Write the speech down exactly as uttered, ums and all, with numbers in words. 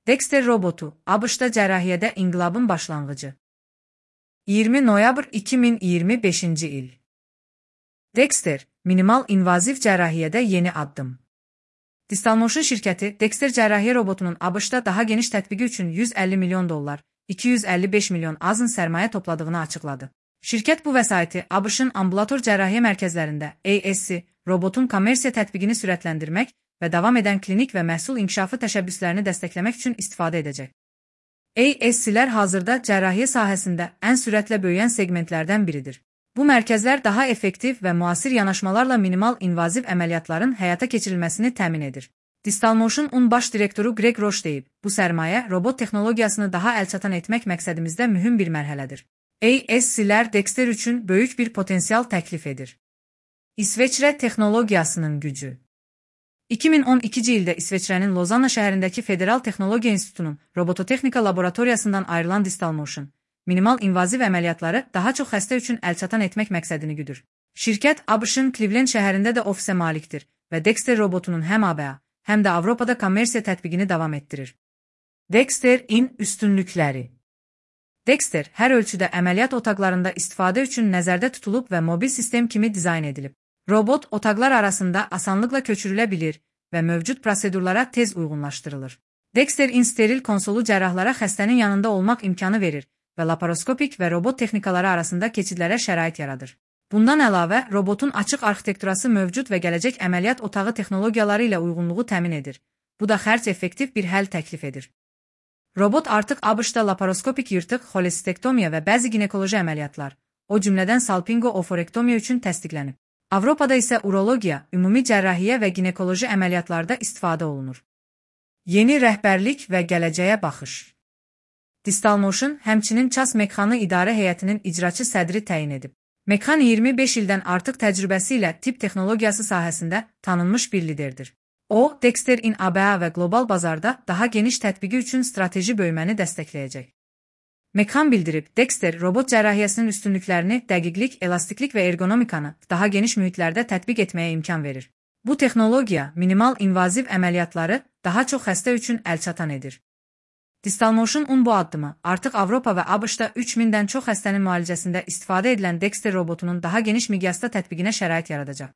Dexter robotu, ABŞ-da cərrahiyyədə inqilabın başlanğıcı. iyirmi noyabr iki min iyirmi beşinci il. Dexter, minimal invaziv cərrahiyyədə yeni addım. Distalmotion şirkəti Dexter cərrahiyyə robotunun ABŞ-da daha geniş tətbiqi üçün yüz əlli milyon dollar, iki yüz əlli beş milyon azın sərmayə topladığını açıqladı. Şirkət bu vəsaiti ABŞ-ın ambulator cərrahiyyə mərkəzlərində A S C robotun kommersiya tətbiqini sürətləndirmək və davam edən klinik və məhsul inkişafı təşəbbüslərini dəstəkləmək üçün istifadə edəcək. A S C-lər hazırda cərrahiyyə sahəsində ən sürətlə böyüyən segmentlərdən biridir. Bu mərkəzlər daha effektiv və müasir yanaşmalarla minimal invaziv əməliyyatların həyata keçirilməsini təmin edir. Distalmotion-un baş direktoru Greg Roche deyib, bu sərmayə robot texnologiyasını daha əlçatan etmək məqsədimizdə mühüm bir mərhələdir. A S C-lər Dexter üçün böyük bir potensial təklif edir. İsveçrə texnologiyasının gücü. iki min on ikinci ildə İsveçrənin Lozanna şəhərindəki Federal Texnologiya İnstitutunun robototexnika laboratoriyasından ayrılan Distalmotion, minimal invaziv əməliyyatları daha çox xəstə üçün əlçatan etmək məqsədini güdür. Şirkət ABŞ-ın Cleveland şəhərində də ofisə malikdir və Dexter robotunun həm A B A, həm də Avropada kommersiya tətbiqini davam etdirir. Dexter-in üstünlükləri. Dexter hər ölçüdə əməliyyat otaqlarında istifadə üçün nəzərdə tutulub və mobil sistem kimi dizayn edilib. Robot otaqlar arasında asanlıqla köçürülə bilir və mövcud prosedurlara tez uyğunlaşdırılır. Dexter-in steril konsolu cərrahlara xəstənin yanında olmaq imkanı verir və laparoskopik və robot texnikaları arasında keçidlərə şərait yaradır. Bundan əlavə, robotun açıq arxitekturası mövcud və gələcək əməliyyat otağı texnologiyaları ilə uyğunluğu təmin edir. Bu da xərc effektiv bir həll təklif edir. Robot artıq ABŞ-da laparoskopik yırtıq, xolestektomiya və bəzi ginekoloji əməliyyatlar, o cümlədən salpingo-oforektomiya üçün təsdiqlənib. Avropada isə urologiya, ümumi cərrahiyyə və ginekoloji əməliyyatlarda istifadə olunur. Yeni rəhbərlik və gələcəyə baxış. Distalmotion həmçinin Ças Mekhanı İdarə Heyətinin icraçı sədri təyin edib. Mekhan iyirmi beş ildən artıq təcrübəsi ilə tibb texnologiyası sahəsində tanınmış bir liderdir. O, Dexter-in A B A və qlobal bazarda daha geniş tətbiqi üçün strateji böyüməni dəstəkləyəcək. Mekhan bildirib, Dexter robot cərrahiyyəsinin üstünlüklərini dəqiqlik, elastiklik və ergonomikanı daha geniş mühitlərdə tətbiq etməyə imkan verir. Bu texnologiya minimal invaziv əməliyyatları daha çox xəstə üçün əlçatan edir. Distalmotion-un bu addımı artıq Avropa və ABŞ-da üç mindən çox xəstənin müalicəsində istifadə edilən Dexter robotunun daha geniş miqyasda tətbiqinə şərait yaradacaq.